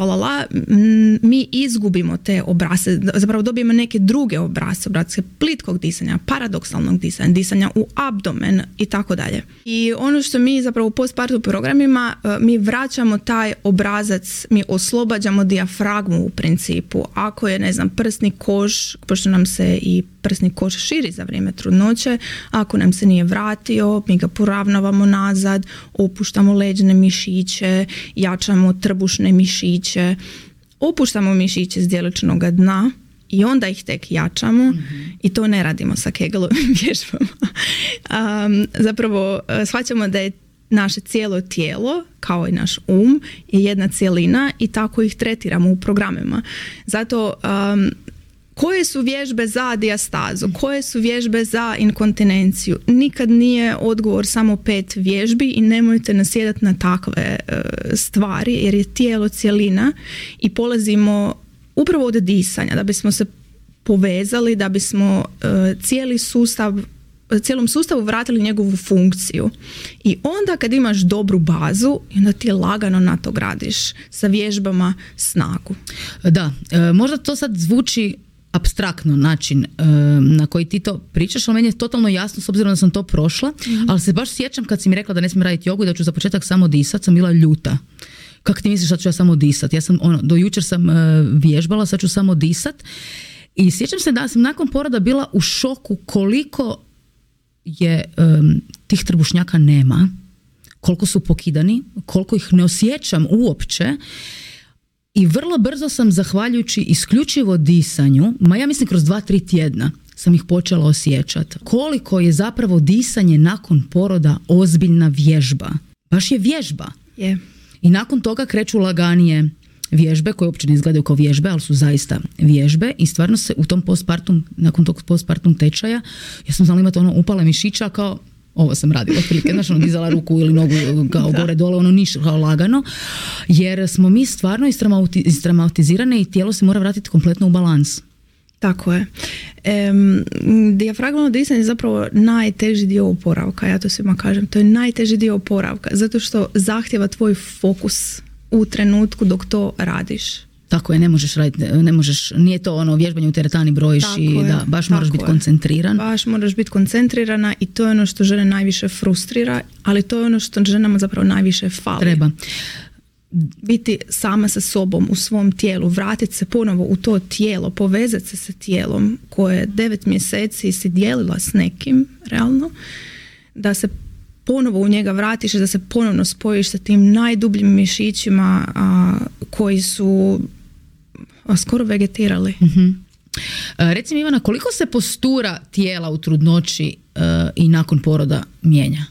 Speaker 2: mi izgubimo te obrasce, zapravo dobijemo neke druge obrasce plitkog disanja, paradoksalnog disanja u abdomen i tako dalje. I ono što mi zapravo u postpartum programima, mi vraćamo taj obrazac, mi oslobađamo dijafragmu u principu. Ako je, prsni koš, pošto nam se i prsni koš širi za vrijeme trudnoće, ako nam se nije vratio, mi ga poravnavamo nazad, opuštamo leđne mišiće, jačamo trbušne mišiće, opuštamo mišiće zdjeličnog dna i onda ih tek jačamo. I to ne radimo sa Kegelovim vježbama. Zapravo shvaćamo da je naše cijelo tijelo, kao i naš je jedna cjelina i tako ih tretiramo u programima. Zato koje su vježbe za dijastazu, koje su vježbe za inkontinenciju? Nikad nije odgovor samo 5 vježbi i nemojte nasjedati na takve stvari, jer je tijelo cjelina i polazimo upravo od disanja, da bismo se povezali, da bismo cijelom sustavu vratili njegovu funkciju. I onda kad imaš dobru bazu, onda ti lagano na to gradiš sa vježbama snagu.
Speaker 1: Da, možda to sad zvuči apstraktno način na koji ti to pričaš, ali meni je totalno jasno s obzirom da sam to prošla, ali se baš sjećam kad si mi rekla da ne smijem raditi jogu i da ću za početak samo disat, sam bila ljuta. Kako ti misliš da ću ja samo disat? Ja sam, do jučer sam vježbala, sad ću samo disat. I sjećam se da sam nakon poroda bila u šoku koliko je tih trbušnjaka nema, koliko su pokidani, koliko ih ne osjećam uopće. I vrlo brzo sam, zahvaljujući isključivo disanju, ja mislim kroz 2-3 tjedna sam ih počela osjećati. Koliko je zapravo disanje nakon poroda ozbiljna vježba. Baš je vježba.
Speaker 2: Yeah.
Speaker 1: I nakon toga kreću laganije vježbe koje uopće ne izgledaju kao vježbe, ali su zaista vježbe i stvarno se u tom nakon tog postpartum tečaja, ja sam znala imati upale mišića kao ovo sam radila otprilike, dizala ruku ili nogu kao gore dole, ništa kao lagano, jer smo mi stvarno istraumatizirane i tijelo se mora vratiti kompletno u balans.
Speaker 2: Tako je. Dijafragmalno disanje je zapravo najteži dio oporavka, ja to svima kažem, to je najteži dio oporavka, zato što zahtjeva tvoj fokus u trenutku dok to radiš.
Speaker 1: Tako je, ne možeš raditi, nije to vježbanje u teretani brojiš baš moraš biti koncentriran.
Speaker 2: Baš moraš biti koncentrirana i to je ono što žene najviše frustrira, ali to je ono što ženama zapravo najviše fali.
Speaker 1: Treba
Speaker 2: biti sama sa sobom u svom tijelu, vratiti se ponovo u to tijelo, povezati se sa tijelom koje 9 mjeseci si dijelila s nekim, realno, da se ponovo u njega vratiš, da se ponovno spojiš sa tim najdubljim mišićima koji su skoro vegetirali.
Speaker 1: Reci mi, Ivana, koliko se postura tijela u trudnoći i nakon poroda mijenja?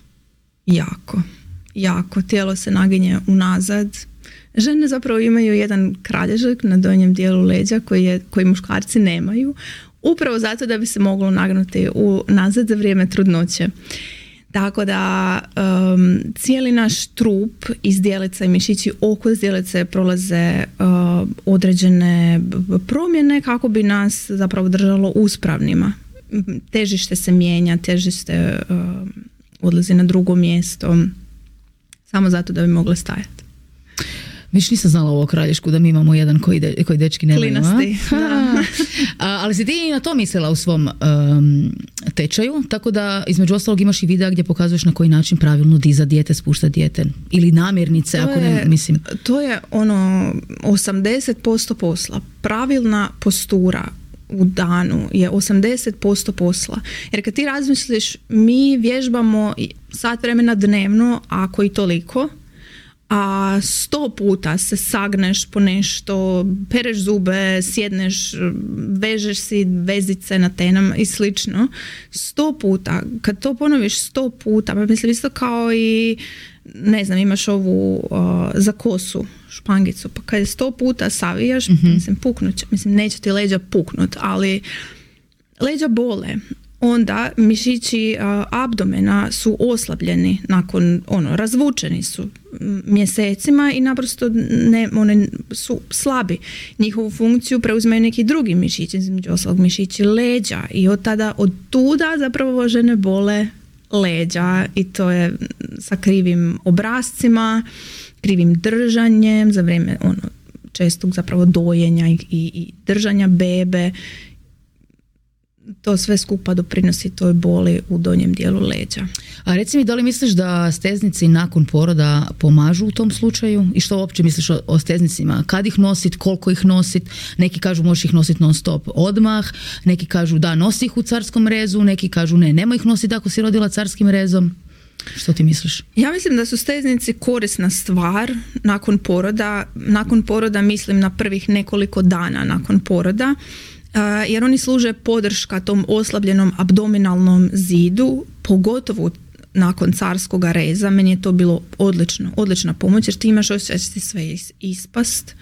Speaker 2: Jako. Tijelo se naginje unazad. Žene zapravo imaju jedan kralježak na donjem dijelu leđa koji muškarci nemaju, upravo zato da bi se moglo nagnuti nazad za vrijeme trudnoće. Tako da cijeli naš trup iz zdjelica i mišići oko zdjelice prolaze određene promjene kako bi nas zapravo držalo uspravnima. Težište se mijenja, težište odlazi na drugo mjesto samo zato da bi mogle stajati.
Speaker 1: Viš nisam znala ovo kralješku da mi imamo jedan koji dečki nemaju.
Speaker 2: Klinasti.
Speaker 1: Ali si ti na to mislila u svom tečaju, tako da između ostalog imaš i videa gdje pokazuješ na koji način pravilno diza dijete, spušta dijete ili namirnice, ako ne mislim.
Speaker 2: To je 80% posla. Pravilna postura u danu je 80% posla. Jer kad ti razmisliš, mi vježbamo sat vremena dnevno, ako i toliko, a 100 puta se sagneš po nešto, pereš zube, sjedneš, vežeš si vezice na tenama i slično. 100 puta, kad to ponoviš 100 puta, pa mislim isto kao i ne znam, imaš ovu za kosu špangicu, pa kad je 100 puta savijaš, mislim, puknut će, mislim, neće ti leđa puknut, ali leđa bole. Onda mišići abdomena su oslabljeni nakon, razvučeni su mjesecima i naprosto one su slabi. Njihovu funkciju preuzimaju neki drugi mišići, između ostalog mišići leđa, i od tuda zapravo žene bole leđa, i to je sa krivim obrascima, krivim držanjem za vrijeme čestog zapravo dojenja i držanja bebe. To sve skupa doprinosi toj boli u donjem dijelu leđa.
Speaker 1: A reci mi, da li misliš da steznici nakon poroda pomažu u tom slučaju? I što uopće misliš o steznicima? Kad ih nosit, koliko ih nosit? Neki kažu možeš ih nositi non stop odmah, neki kažu da, nosi ih u carskom rezu, neki kažu ne, nemoj ih nositi ako si rodila carskim rezom. Što ti misliš?
Speaker 2: Ja mislim da su steznici korisna stvar nakon poroda. Nakon poroda mislim na prvih nekoliko dana nakon poroda, jer oni služe podrška tom oslabljenom abdominalnom zidu, pogotovo nakon carskog reza. Meni je to bilo odlična pomoć, jer ti imaš osjećaj da će ti sve ispast,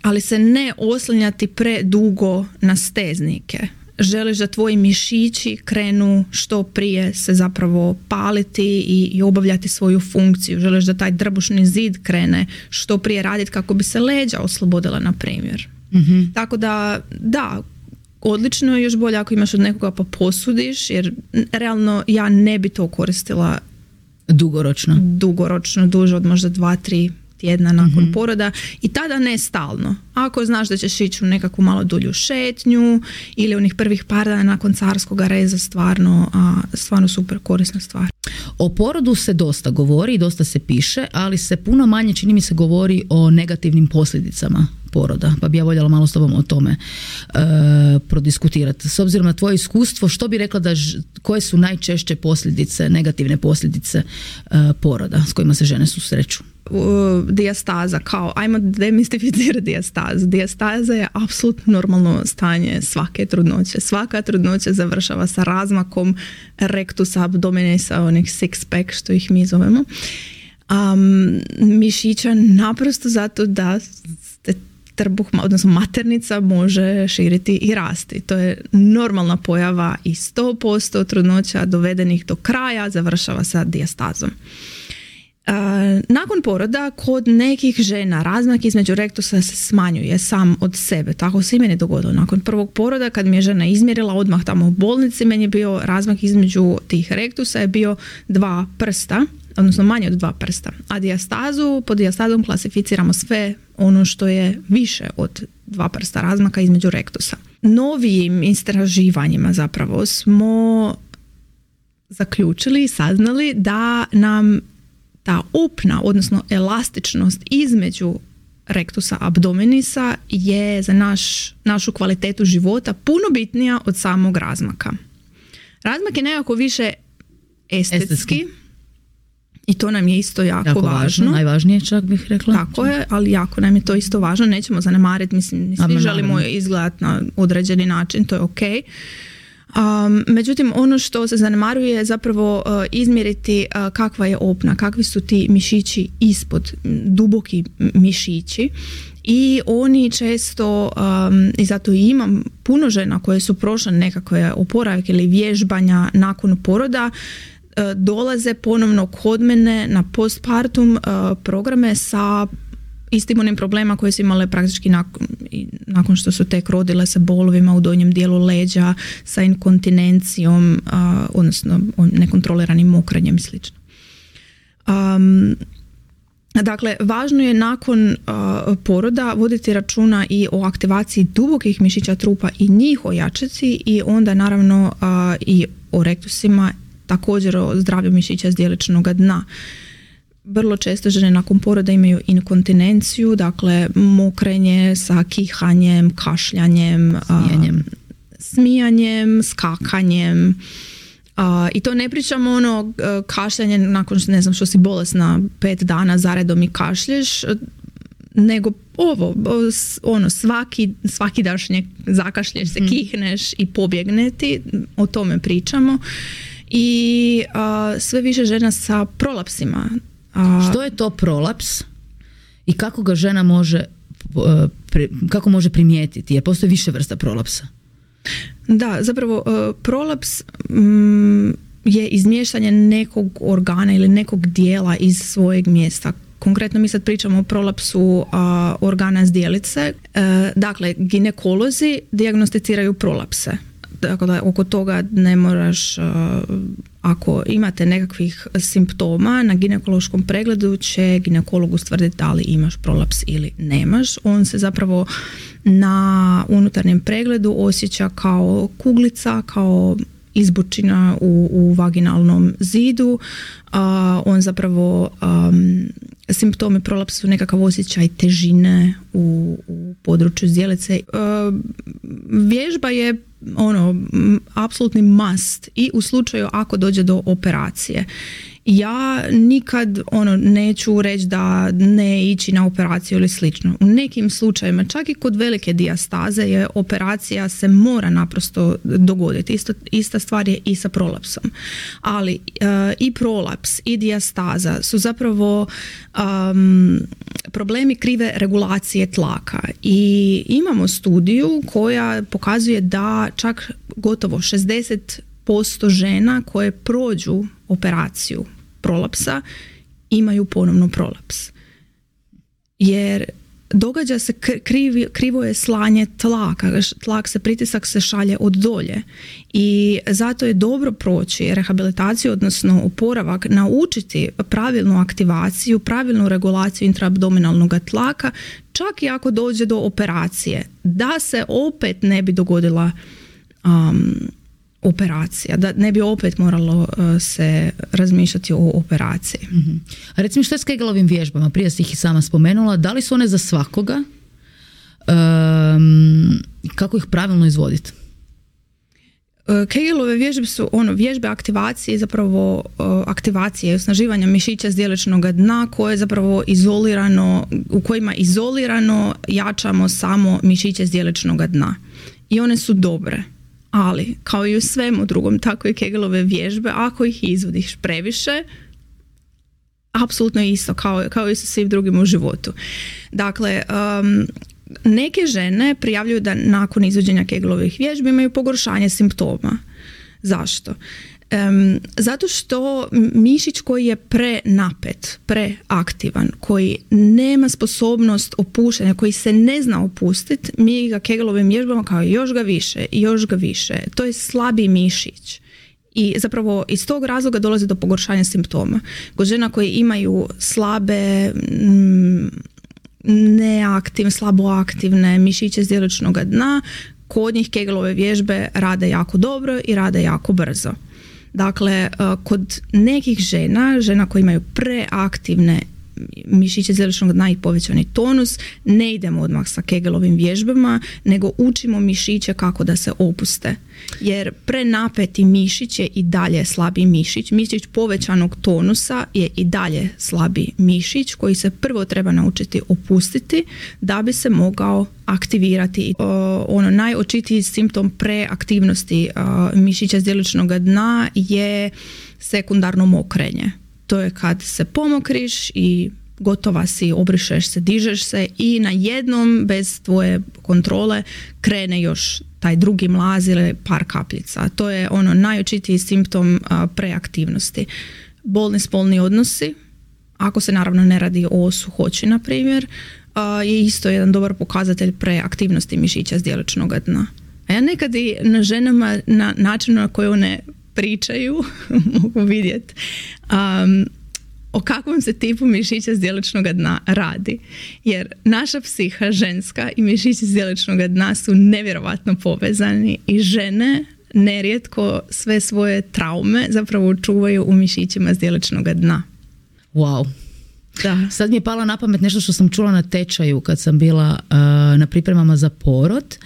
Speaker 2: ali se ne oslanjati predugo na steznike. Želiš da tvoji mišići krenu što prije se zapravo paliti i obavljati svoju funkciju. Želiš da taj drbušni zid krene što prije raditi kako bi se leđa oslobodila, na primjer. Mm-hmm. Tako da odlično je, još bolje ako imaš od nekoga pa posudiš, jer realno ja ne bi to koristila dugoročno, duže od možda 2-3 tjedna nakon poroda, i tada ne stalno. Ako znaš da ćeš ići u nekakvu malo dulju šetnju ili onih prvih par dana nakon carskog reza, stvarno super korisna stvar.
Speaker 1: O porodu se dosta govori i dosta se piše, ali se puno manje, čini mi se, govori o negativnim posljedicama poroda, pa bi ja voljela malo s tobom o tome prodiskutirati. S obzirom na tvoje iskustvo, što bi rekla koje su najčešće posljedice, negativne posljedice poroda s kojima se žene susreću?
Speaker 2: Dijastaza, kao ajmo demistificirati dijastazu. Dijastaza je apsolutno normalno stanje svake trudnoće. Svaka trudnoća završava sa razmakom rektusa abdomenisa, onih six pack što ih mi zovemo, mišića, naprosto zato da trbuh, odnosno maternica, može širiti i rasti. To je normalna pojava i 100% trudnoća dovedenih do kraja završava sa dijastazom. Nakon poroda kod nekih žena razmak između rektusa se smanjuje sam od sebe. Tako se i meni dogodilo. Nakon prvog poroda, kad mi je žena izmjerila odmah tamo u bolnici, meni je bio razmak između tih rektusa je bio 2 prsta, odnosno manje od 2 prsta. A pod dijastazom klasificiramo sve ono što je više od 2 prsta razmaka između rektusa. Novijim istraživanjima zapravo smo zaključili i saznali da nam ta opna, odnosno elastičnost između rektusa abdomenisa je za našu kvalitetu života puno bitnija od samog razmaka. Razmak je nekako više estetski. I to nam je isto jako važno.
Speaker 1: Najvažnije čak bih rekla.
Speaker 2: Tako je, ali jako nam je to isto važno. Nećemo zanemariti, mislim, svi želimo izgledati na određeni način, to je ok. Međutim, ono što se zanemaruje je zapravo izmjeriti kakva je opna, kakvi su ti mišići ispod, duboki mišići. I oni često, i zato i imam puno žena koje su prošle nekakve oporavke ili vježbanja nakon poroda, dolaze ponovno kod mene na postpartum programe sa istim onim problema koje su imale praktički nakon što su tek rodile, sa bolovima u donjem dijelu leđa, sa inkontinencijom, odnosno nekontroliranim mokrenjem i sl. Dakle, važno je nakon poroda voditi računa i o aktivaciji dubokih mišića trupa i njih ojačati, i onda naravno i o rektusima, također o zdravlju mišića zdjeličnog dna. Vrlo često žene nakon poroda imaju inkontinenciju, dakle mokrenje sa kihanjem, kašljanjem, smijanjem, skakanjem. I to ne pričamo ono kašljanje nakon što si bolesna 5 dana zaredom i kašlješ, nego svaki dašnje zakašlješ se, kihneš i pobjegne ti, o tome pričamo. I sve više žena sa prolapsima.
Speaker 1: Što je to prolaps i kako ga žena može primijetiti? Jer postoji više vrsta prolapsa.
Speaker 2: Da, zapravo prolaps je izmještanje nekog organa ili nekog dijela iz svojeg mjesta. Konkretno mi sad pričamo o prolapsu organa zdjelice. Dakle, ginekolozi dijagnosticiraju prolapse. Dakle, oko toga ne moraš, ako imate nekakvih simptoma, na ginekološkom pregledu će ginekolog ustvrditi da li imaš prolaps ili nemaš. On se zapravo na unutarnjem pregledu osjeća kao kuglica, kao izbučina u vaginalnom zidu. On zapravo, simptomi prolapsa su nekakav osjećaj težine u području zdjelice. Vježba je apsolutni must i u slučaju ako dođe do operacije. Ja nikad neću reći da ne ići na operaciju ili slično. U nekim slučajevima, čak i kod velike dijastaze, je operacija se mora naprosto dogoditi. Ista stvar je i sa prolapsom. Ali i prolaps i dijastaza su zapravo problemi krive regulacije tlaka. I imamo studiju koja pokazuje da čak gotovo 60% žena koje prođu operaciju prolapsa imaju ponovno prolaps. Jer događa se krivo je slanje tlaka, pritisak se šalje od dolje i zato je dobro proći rehabilitaciju, odnosno oporavak, naučiti pravilnu aktivaciju, pravilnu regulaciju intraabdominalnog tlaka, čak i ako dođe do operacije, da se opet ne bi dogodila operacija, da ne bi opet moralo se razmišljati o operaciji.
Speaker 1: Mm-hmm. A recimo, što je s Kegelovim vježbama? Prije si ih i sama spomenula. Da li su one za svakoga? Kako ih pravilno izvoditi?
Speaker 2: Kegelove vježbe su vježbe aktivacije, zapravo aktivacije osnaživanja mišića zdjeličnog dna koje zapravo u kojima izolirano jačamo samo mišiće zdjeličnog dna. I one su dobre. Ali, kao i u svemu drugom, tako i Kegelove vježbe, ako ih izvodiš previše, apsolutno isto, kao i sa svim drugim u životu. Dakle, neke žene prijavljuju da nakon izvođenja Kegelovih vježbi imaju pogoršanje simptoma. Zašto? Zato što mišić koji je prenapet, preaktivan, koji nema sposobnost opuštanja, koji se ne zna opustiti, mi ga Kegelovim vježbama kao još ga više i još ga više. To je slabi mišić. I zapravo iz tog razloga dolazi do pogoršanja simptoma. Kod žena koji imaju slabe, slabo aktivne mišiće zdjeličnog dna, kod njih Kegelove vježbe rade jako dobro i rade jako brzo. Dakle, kod nekih žena koje imaju preaktivne mišiće zdjeličnog dna i povećani tonus, ne idemo odmah sa Kegelovim vježbama, nego učimo mišiće kako da se opuste. Jer prenapeti mišić je i dalje slabi mišić. Mišić povećanog tonusa je i dalje slabi mišić koji se prvo treba naučiti opustiti da bi se mogao aktivirati. Najočitiji simptom preaktivnosti mišića zdjeličnog dna je sekundarno mokrenje. To je kad se pomokriš i gotova si, obrišeš se, dižeš se i na jednom bez tvoje kontrole krene još taj drugi mlaz ili par kapljica. To je najočitiji simptom preaktivnosti. Bolni spolni odnosi, ako se naravno ne radi o suhoći na primjer, je isto jedan dobar pokazatelj preaktivnosti mišića zdjeličnog dna. A ja nekad i na ženama na način na koji one pričaju mogu vidjeti o kakvom se tipu mišića zdjeličnog dna radi. Jer naša psiha ženska i mišići zdjeličnog dna su nevjerovatno povezani i žene nerijetko sve svoje traume zapravo čuvaju u mišićima zdjeličnog dna.
Speaker 1: Wow.
Speaker 2: Da.
Speaker 1: Sad mi je pala na pamet nešto što sam čula na tečaju kad sam bila na pripremama za porod.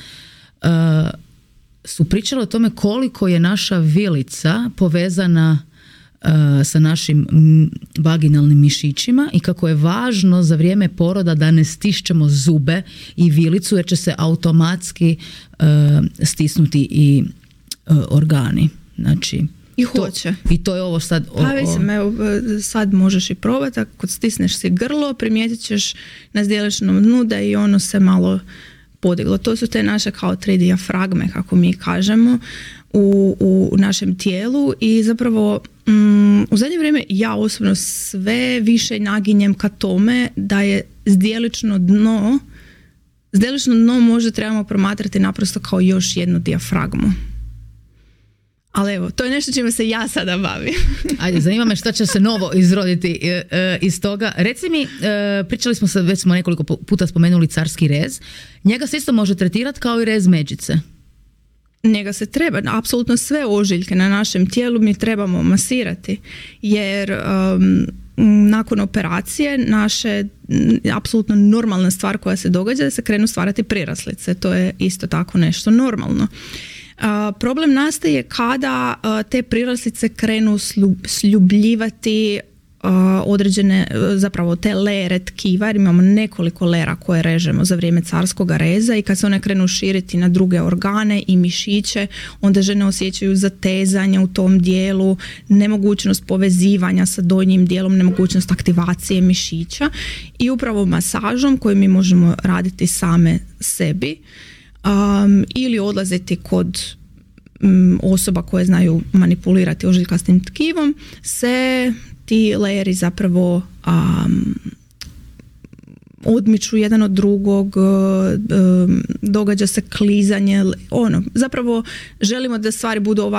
Speaker 1: Su pričali o tome koliko je naša vilica povezana sa našim vaginalnim mišićima i kako je važno za vrijeme poroda da ne stišćemo zube i vilicu jer će se automatski stisnuti i organi. Znači,
Speaker 2: i hoće.
Speaker 1: I to je ovo sad...
Speaker 2: sad možeš i probati, ako stisneš si grlo, primijetit ćeš na zdjeličnom dnu da i ono se malo podiglo. To su te naše kao 3 dijafragme, kako mi kažemo, u našem tijelu i zapravo u zadnje vrijeme ja osobno sve više naginjem ka tome da je zdjelično dno možda trebamo promatrati naprosto kao još jednu dijafragmu. Ali evo, to je nešto čime se ja sada bavim.
Speaker 1: Ajde, zanima me šta će se novo izroditi iz toga. Reci mi, pričali smo već smo nekoliko puta spomenuli carski rez. Njega se isto može tretirati kao i rez međice.
Speaker 2: Njega se treba, apsolutno sve ožiljke na našem tijelu mi trebamo masirati. Jer nakon operacije naše apsolutno normalna stvar koja se događa da se krenu stvarati priraslice. To je isto tako nešto normalno. Problem nastaje kada te priraslice krenu sljubljivati određene, zapravo te lere tkiva, jer imamo nekoliko lera koje režemo za vrijeme carskog reza i kad se one krenu širiti na druge organe i mišiće, onda žene osjećaju zatezanje u tom dijelu, nemogućnost povezivanja sa donjim dijelom, nemogućnost aktivacije mišića i upravo masažom koju mi možemo raditi same sebi ili odlaziti kod osoba koje znaju manipulirati ožiljkastim tkivom se ti lejeri zapravo odmiču jedan od drugog, događa se klizanje, zapravo želimo da stvari budu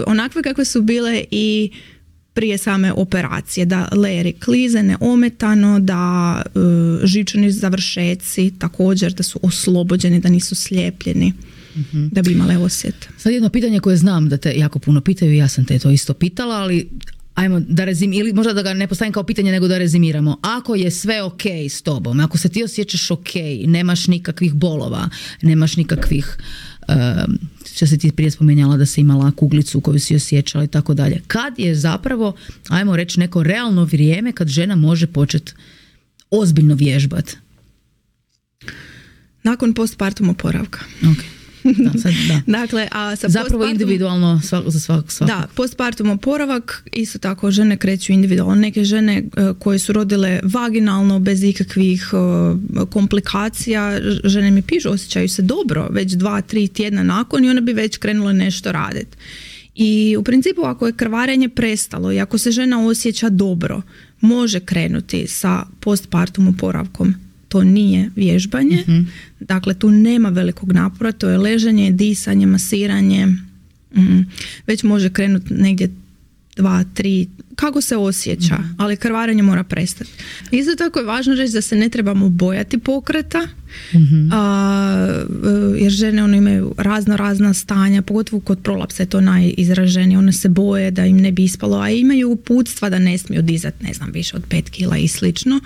Speaker 2: onakve kakve su bile i prije same operacije, da lejeri klize neometano, da živčani završeci također da su oslobođeni, da nisu slijepljeni. Da bi imale osjet.
Speaker 1: Sad jedno pitanje koje znam da te jako puno pitaju, ja sam te to isto pitala, ali ajmo da ili možda da ga ne postavim kao pitanje nego da rezimiramo. Ako je sve ok s tobom, ako se ti osjećaš ok, nemaš nikakvih bolova, nemaš nikakvih što se ti prije spomenjala da si imala kuglicu koju si osjećala i tako dalje. Kad je zapravo, ajmo reći, neko realno vrijeme kad žena može početi ozbiljno vježbati?
Speaker 2: Nakon postpartum oporavka.
Speaker 1: Ok. Da.
Speaker 2: Dakle,
Speaker 1: zapravo individualno za svak.
Speaker 2: Da, postpartum oporavak isto tako žene kreću individualno. Neke žene koje su rodile vaginalno bez ikakvih komplikacija, žene mi pišu, osjećaju se dobro već 2-3 tjedna nakon i one bi već krenule nešto raditi. I u principu ako je krvarenje prestalo i ako se žena osjeća dobro, može krenuti sa postpartum oporavkom. To nije vježbanje, dakle tu nema velikog napora, to je ležanje, disanje, masiranje, već može krenuti negdje 2, 3, kako se osjeća, ali krvarenje mora prestati. Isto tako je važno reći da se ne trebamo bojati pokreta, jer žene imaju razna stanja, pogotovo kod prolapsa je to najizraženije, one se boje da im ne bi ispalo, a imaju uputstva da ne smiju dizati, ne znam, više od 5 kila i slično.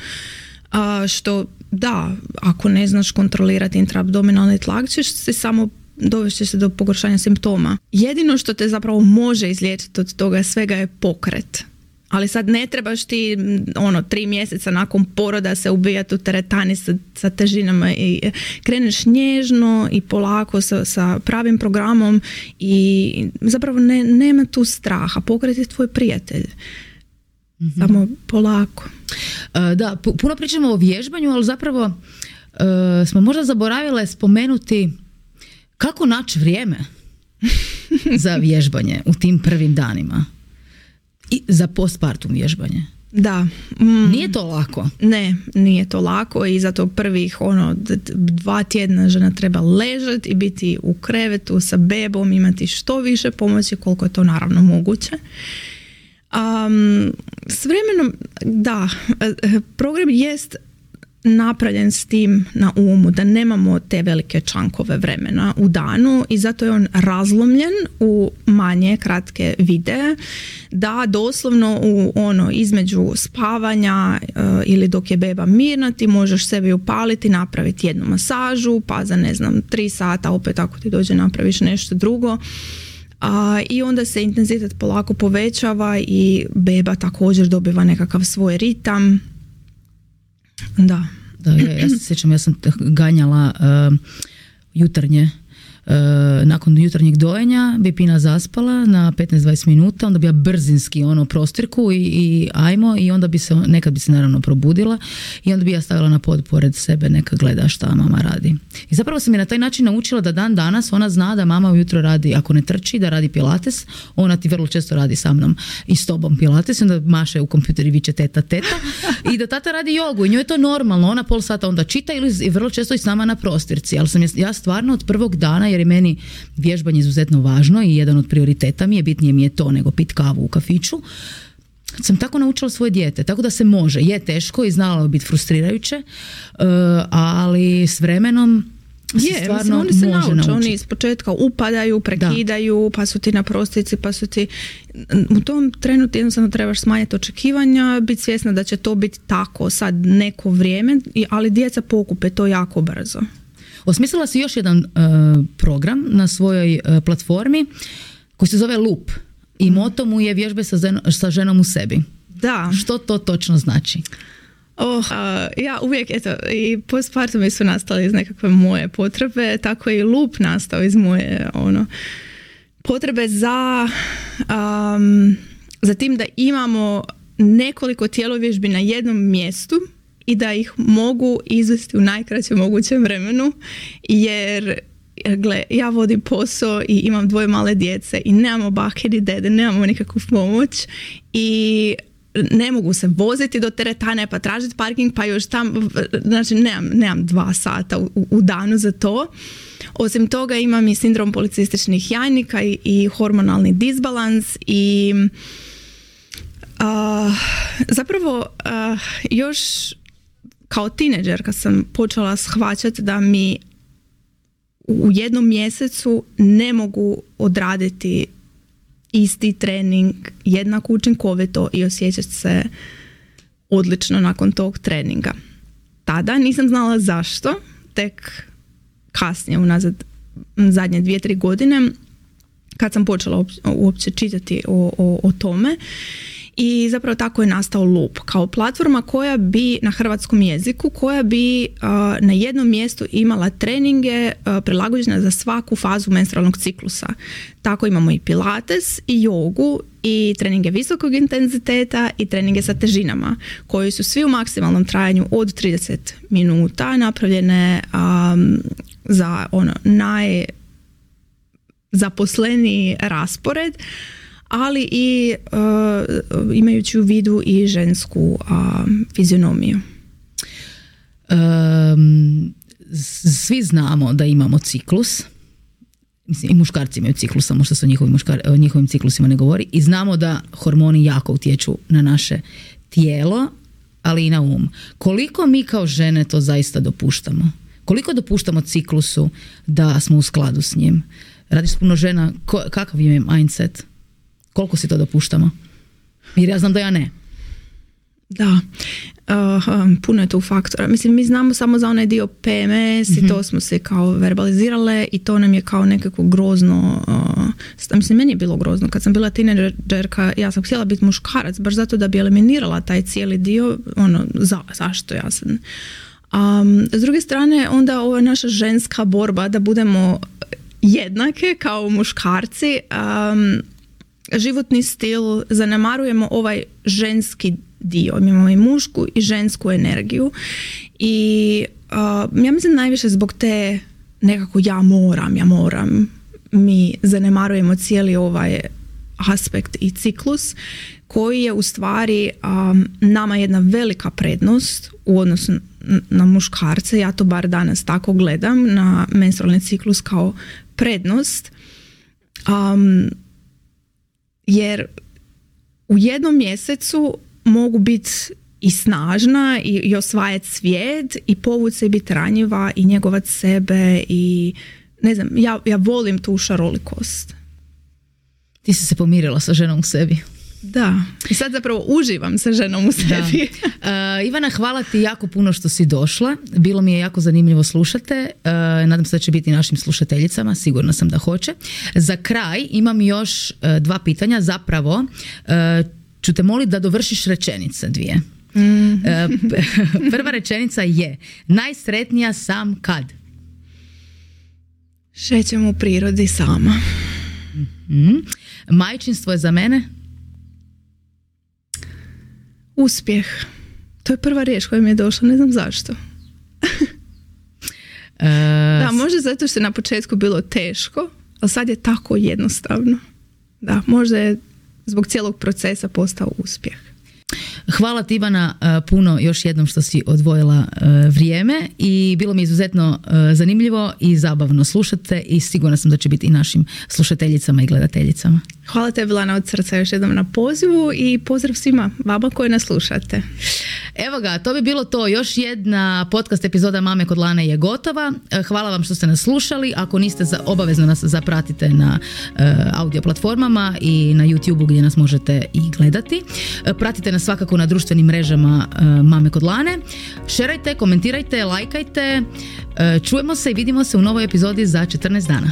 Speaker 2: Što da, ako ne znaš kontrolirati intraabdominalni tlak, ćeš se samo dovesti se do pogoršanja simptoma. Jedino što te zapravo može izliječiti od toga svega je pokret. Ali sad ne trebaš ti 3 mjeseca nakon poroda se ubijati u teretani sa težinama i kreneš nježno i polako sa pravim programom i zapravo nema tu straha. Pokret je tvoj prijatelj. Samo polako.
Speaker 1: Da, puno pričamo o vježbanju, ali zapravo smo možda zaboravile spomenuti kako naći vrijeme za vježbanje u tim prvim danima i za postpartum vježbanje.
Speaker 2: Da.
Speaker 1: Nije to lako.
Speaker 2: Ne, nije to lako i zato prvih 2 tjedna žena treba ležati i biti u krevetu sa bebom, imati što više pomoći koliko je to naravno moguće. S vremenom, da, program jest napravljen s tim na umu da nemamo te velike čankove vremena u danu i zato je on razlomljen u manje kratke videe, da doslovno između spavanja ili dok je beba mirna ti možeš sebi upaliti, napraviti jednu masažu, pa za 3 sata opet ako ti dođe napraviš nešto drugo. I onda se intenzitet polako povećava i beba također dobiva nekakav svoj ritam. Da,
Speaker 1: ja se sjećam, ja sam ganjala jutarnje. Nakon jutarnjeg dojenja bi Pina zaspala na 15-20 minuta, onda bi ja brzinski prostirku i ajmo, i onda nekad bi se naravno probudila i onda bi ja stavila na pod pored sebe, neka gleda šta mama radi. I zapravo sam je na taj način naučila da dan danas ona zna da mama ujutro radi, ako ne trči, da radi pilates. Ona ti vrlo često radi sa mnom i s tobom pilates, onda maše u kompjuter i viče teta i da tata radi jogu i njoj je to normalno, ona pol sata onda čita ili vrlo često i s nama na prostirci, ali sam ja stvarno od prvog dana, jer je meni vježbanje izuzetno važno i jedan od prioriteta mi je, bitnije mi je to nego pit kavu u kafiću, sam tako naučila svoje dijete, tako da se može. Je teško i znala bi biti frustrirajuće, ali s vremenom stvarno
Speaker 2: oni se
Speaker 1: može naučiti.
Speaker 2: Oni iz početka upadaju, prekidaju, pa su ti na prostorci, pa su ti... U tom trenu ti jednostavno trebaš smanjiti očekivanja, biti svjesna da će to biti tako sad neko vrijeme, ali djeca pokupe to jako brzo.
Speaker 1: Osmislila si još jedan program na svojoj platformi koji se zove Loop i moto mu je vježbe sa ženom u sebi.
Speaker 2: Da.
Speaker 1: Što to točno znači?
Speaker 2: Ja uvijek, i postpartumi su nastali iz nekakve moje potrebe, tako je i Loop nastao iz moje potrebe za tim da imamo nekoliko tjelovježbi na jednom mjestu i da ih mogu izvesti u najkraćem mogućem vremenu, jer ja vodim posao i imam 2 male djece i nemamo bake ni dede, nemamo nikakvu pomoć i ne mogu se voziti do teretane pa tražiti parking pa još tam, znači nemam 2 sata u danu za to. Osim toga imam i sindrom policističnih jajnika i hormonalni disbalans i zapravo još kao tineđerka sam počela shvaćati da mi u jednom mjesecu ne mogu odraditi isti trening jednako učinkovito i osjećati se odlično nakon tog treninga. Tada nisam znala zašto, tek kasnije unazad zadnje 2-3 godine kad sam počela uopće čitati o tome. I zapravo tako je nastao Loop kao platforma koja bi na hrvatskom jeziku, koja bi na jednom mjestu imala treninge prilagođene za svaku fazu menstrualnog ciklusa. Tako imamo i pilates i jogu i treninge visokog intenziteta i treninge sa težinama koji su svi u maksimalnom trajanju od 30 minuta napravljene za najzaposleniji raspored, ali i imajući u vidu i žensku fizionomiju.
Speaker 1: Svi znamo da imamo ciklus Mislim, i muškarci imaju ciklus, samo što se o njihovim ciklusima ne govori, i znamo da hormoni jako utječu na naše tijelo, ali i na um. Koliko mi kao žene to zaista dopuštamo? Koliko dopuštamo ciklusu da smo u skladu s njim? Radiš s puno žena, kakav je mindset? Koliko si to dopuštamo? Jer ja znam da ja ne.
Speaker 2: Da, puno je tu faktora. Mislim, mi znamo samo za onaj dio PMS i to smo se kao verbalizirale i to nam je kao nekako grozno. Mislim, meni je bilo grozno. Kad sam bila tinejdžerka, ja sam htjela biti muškarac, baš zato da bi eliminirala taj cijeli dio. Zašto ja sam... s druge strane, onda ova naša ženska borba da budemo jednake kao muškarci, životni stil, zanemarujemo ovaj ženski dio. Mi imamo i mušku i žensku energiju i ja mislim najviše zbog te nekako ja moram, mi zanemarujemo cijeli ovaj aspekt i ciklus koji je u stvari nama jedna velika prednost u odnosu na muškarce. Ja to bar danas tako gledam na menstrualni ciklus kao prednost, jer u jednom mjesecu mogu biti i snažna i osvajati svijet i povući se i biti ranjiva i njegovati sebe i ne znam, ja volim tu šarolikost.
Speaker 1: Ti si se pomirila sa ženom u sebi.
Speaker 2: Da, i sad zapravo uživam sa ženom u sebi.
Speaker 1: Ivana, hvala ti jako puno što si došla. Bilo mi je jako zanimljivo slušate. Nadam se da će biti našim slušateljicama. Sigurna sam da hoće. Za kraj imam još 2 pitanja. Zapravo ću te moliti da dovršiš rečenice 2. Prva rečenica je: najsretnija sam kad?
Speaker 2: Šećem u prirodi sama.
Speaker 1: Majčinstvo je za mene?
Speaker 2: Uspjeh. To je prva riječ koja mi je došla, ne znam zašto. Da, možda zato što je na početku bilo teško, ali sad je tako jednostavno. Da, možda je zbog cijelog procesa postao uspjeh.
Speaker 1: Hvala ti, Ivana, puno još jednom što si odvojila vrijeme i bilo mi izuzetno zanimljivo i zabavno slušate i sigurna sam da će biti i našim slušateljicama i gledateljicama.
Speaker 2: Hvala tebi, Lana, od srca još jednom na pozivu i pozdrav svima vama koji nas slušate.
Speaker 1: Evo ga, to bi bilo to. Još jedna podcast epizoda Mame kod Lane je gotova. Hvala vam što ste nas slušali. Ako niste, obavezno nas zapratite na audio platformama i na YouTubeu gdje nas možete i gledati. Pratite nas svakako na društvenim mrežama Mame kod Lane. Šerajte, komentirajte, lajkajte. Čujemo se i vidimo se u novoj epizodi za 14 dana.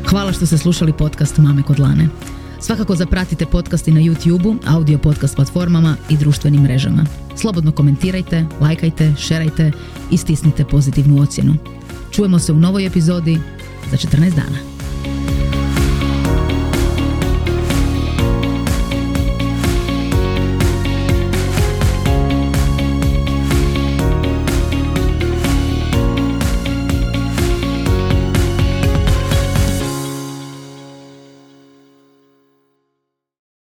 Speaker 1: Hvala što ste slušali podcast Mame kod Lane. Svakako zapratite podcasti na YouTubeu, audio podcast platformama i društvenim mrežama. Slobodno komentirajte, lajkajte, šerajte i stisnite pozitivnu ocjenu. Čujemo se u novoj epizodi za 14 dana.